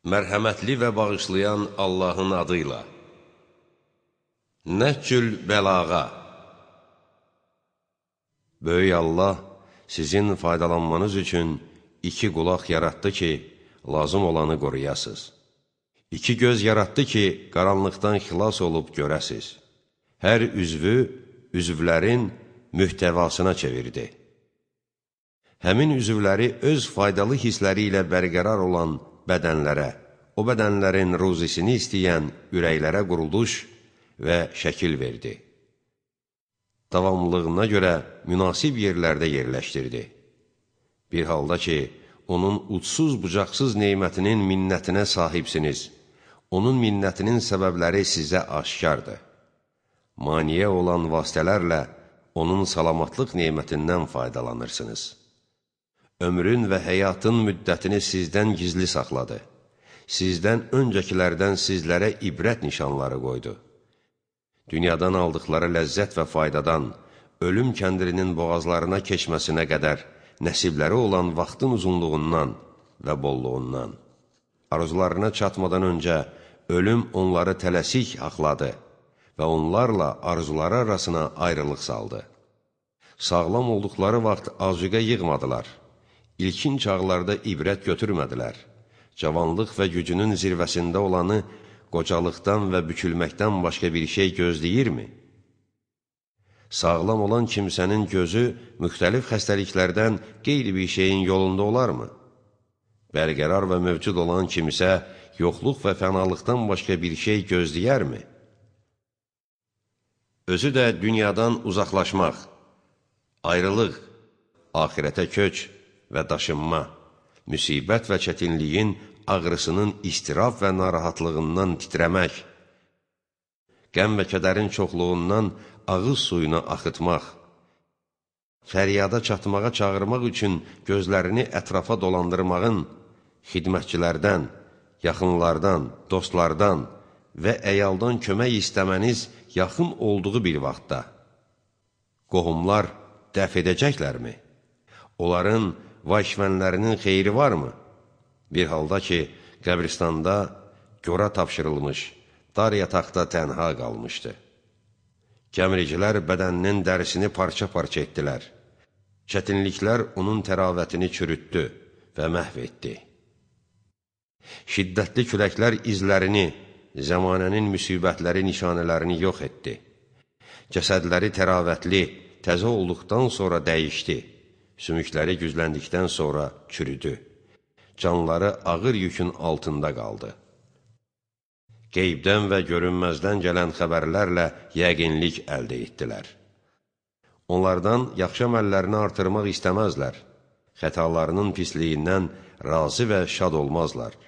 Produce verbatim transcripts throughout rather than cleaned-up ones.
Mərhəmətli və bağışlayan Allahın adıyla. Nəhcül bəlağa. Böyük Allah sizin faydalanmanız üçün iki qulaq yaratdı ki, lazım olanı qoruyasız. İki göz yaratdı ki, qaranlıqdan xilas olub görəsiz. Hər üzvü, üzvlərin mühtəvasına çevirdi. Həmin üzvləri öz faydalı hissləri ilə bərqərar olan bədənlərə, o bədənlərin ruzisini istəyən ürəklərə quruluş və şəkil verdi. Davamlılığına görə münasib yerlərdə yerləşdirdi. Bir halda ki, onun ucsuz-bucaqsız neymətinin minnətinə sahibsiniz, onun minnətinin səbəbləri sizə aşkardır. Maniyə olan vasitələrlə onun salamatlıq neymətindən faydalanırsınız. Ömrün və həyatın müddətini sizdən gizli saxladı. Sizdən öncəkilərdən sizlərə ibrət nişanları qoydu. Dünyadan aldıqları ləzzət və faydadan, ölüm kəndirinin boğazlarına keçməsinə qədər nəsibləri olan vaxtın uzunluğundan və bolluğundan. Arzularına çatmadan öncə ölüm onları tələsik haqladı və onlarla arzuları arasına ayrılıq saldı. Sağlam olduqları vaxt azuqə yığmadılar. İlkin çağlarda ibrət götürmədilər. Cavanlıq və gücünün zirvəsində olanı qocalıqdan və bükülməkdən başqa bir şey gözləyirmi? Sağlam olan kimsənin gözü müxtəlif xəstəliklərdən qeyri bir şeyin yolunda olarmı? Bərqərar və mövcud olan kimsə yoxluq və fənalıqdan başqa bir şey gözləyərmi? Özü də dünyadan uzaqlaşmaq, ayrılıq, axirətə köç və daşınma, müsibət və çətinliyin ağrısının istiraf və narahatlığından titrəmək, qəm və kədərin çoxluğundan ağız suyunu axıtmaq, fəryada çatmağa çağırmaq üçün gözlərini ətrafa dolandırmağın, xidmətçilərdən, yaxınlardan, dostlardan və əyaldan kömək istəməniz yaxın olduğu bir vaxtda qohumlar dəf edəcəklərmi? Onların vahşvənlərinin xeyri varmı? Bir halda ki, qəbristanda gora tapşırılmış, dar yataqda tənha qalmışdı. Gəmiricilər bədəninin dərisini parça-parça etdilər. Çətinliklər onun təravətini çürütdü və məhv etdi. Şiddətli küləklər izlərini, zəmanənin müsibətləri nişanələrini yox etdi. Cəsədləri təravətli, təzə olduqdan sonra dəyişdi. Sümükləri gücləndikdən sonra çürüdü. Canları ağır yükün altında qaldı. Qeybdən və görünməzdən gələn xəbərlərlə yəqinlik əldə etdilər. Onlardan yaxşı əməllərini artırmaq istəməzlər. Xətalarının pisliyindən razı və şad olmazlar.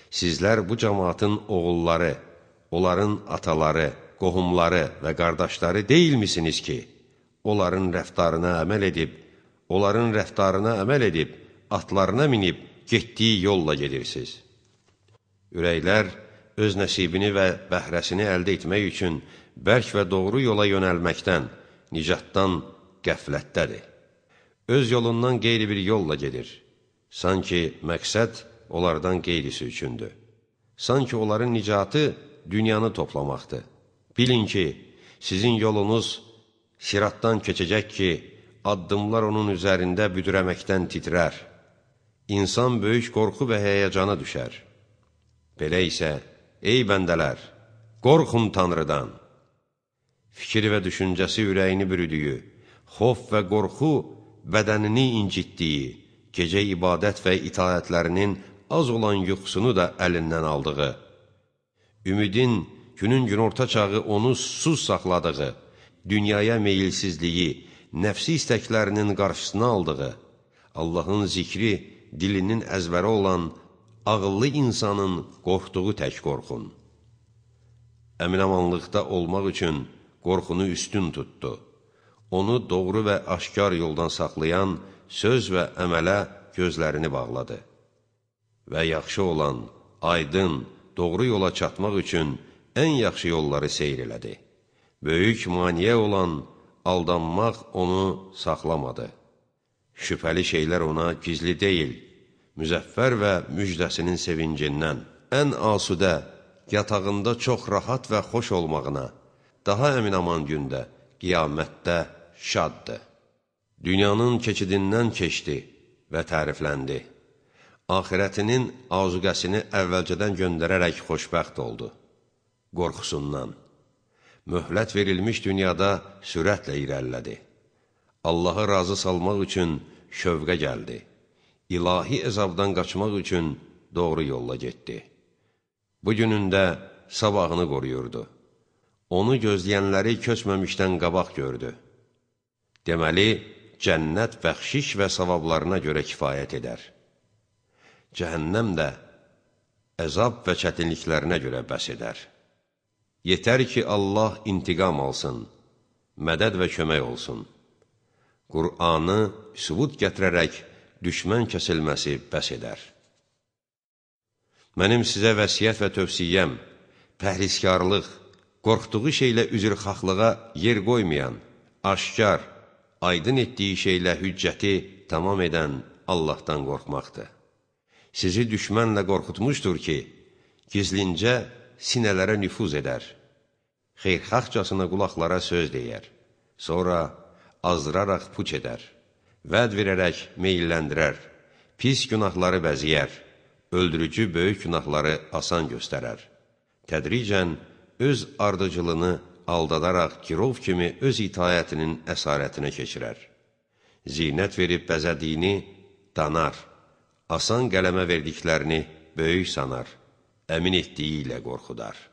Sizlər bu cəmaatın oğulları, onların ataları, qohumları və qardaşları deyilmisiniz ki, onların rəftarına əməl edib, onların rəftarına əməl edib, atlarına minib, getdiyi yolla gedirsiniz. Ürəklər öz nəsibini və bəhrəsini əldə etmək üçün bərk və doğru yola yönəlməkdən, nicatdan qəflətdədir. Öz yolundan qeyri bir yolla gedir. Sanki məqsəd onlardan qeyrisi üçündür. Sanki onların nicatı dünyanı toplamaqdır. Bilin ki, sizin yolunuz siratdan keçəcək ki, addımlar onun üzərində büdürəməkdən titrər. İnsan böyük qorxu və həyəcana düşər. Belə isə, ey bəndələr, qorxun Tanrıdan. Fikir və düşüncəsi ürəyini bürüdüyü, xof və qorxu bədənini incitdiyi, gecə ibadət və itaətlərinin az olan yuxusunu da əlindən aldığı, ümidin günün günorta çağı onu susuz saxladığı, dünyaya meyilsizliyi, nəfsi istəklərinin qarşısına aldığı, Allahın zikri dilinin əzbəri olan ağıllı insanın qorxduğu tək qorxun. Əminamanlıqda olmaq üçün qorxunu üstün tutdu. Onu doğru və aşkar yoldan saxlayan söz və əmələ gözlərini bağladı. Və yaxşı olan, aydın, doğru yola çatmaq üçün ən yaxşı yolları seyr elədi. Böyük maniyə olan aldanmaq onu saxlamadı. Şübhəli şeylər ona gizli deyil, müzəffər və müjdəsinin sevincindən, ən asudə, yatağında çox rahat və xoş olmağına, daha əmin-aman gündə, qiyamətdə şaddır. Dünyanın keçidindən keçdi və tərifləndi. Axirətinin azuqəsini əvvəlcədən göndərərək xoşbəxt oldu. Qorxusundan. Möhlət verilmiş dünyada sürətlə irəlilədi. Allahı razı salmaq üçün şövqə gəldi. İlahi əzabdan qaçmaq üçün doğru yolla getdi. Bu günündə sabahını qoruyurdu. Onu gözləyənləri köçməmişdən qabaq gördü. Deməli, cənnət bəxşiş və savablarına görə kifayət edər. Cəhənnəm də əzab və çətinliklərinə görə bəs edər. Yetər ki, Allah intiqam alsın, mədəd və kömək olsun. Qur'anı sübut gətirərək düşmən kəsilməsi bəs edər. Mənim sizə vəsiyyət və tövsiyəm, pəhriskarlıq, qorxduğu şeylə üzrxaxlığa yer qoymayan, aşkar, aydın etdiyi şeylə hüccəti tamam edən Allahdan qorxmaqdır. Sizi düşmənlə qorxutmuşdur ki, gizlincə sinələrə nüfuz edər, xeyrxaxcasına qulaqlara söz deyər, sonra azdıraraq puç edər, vəd verərək meyilləndirər, pis günahları bəziyər, öldürücü böyük günahları asan göstərər. Tədricən öz ardıcılını aldadaraq girov kimi öz itayətinin əsarətinə keçirər. Zinət verib bəzədiyini danar, asan qələmə verdiklərini böyük sanar, əmin etdiyi ilə qorxudar.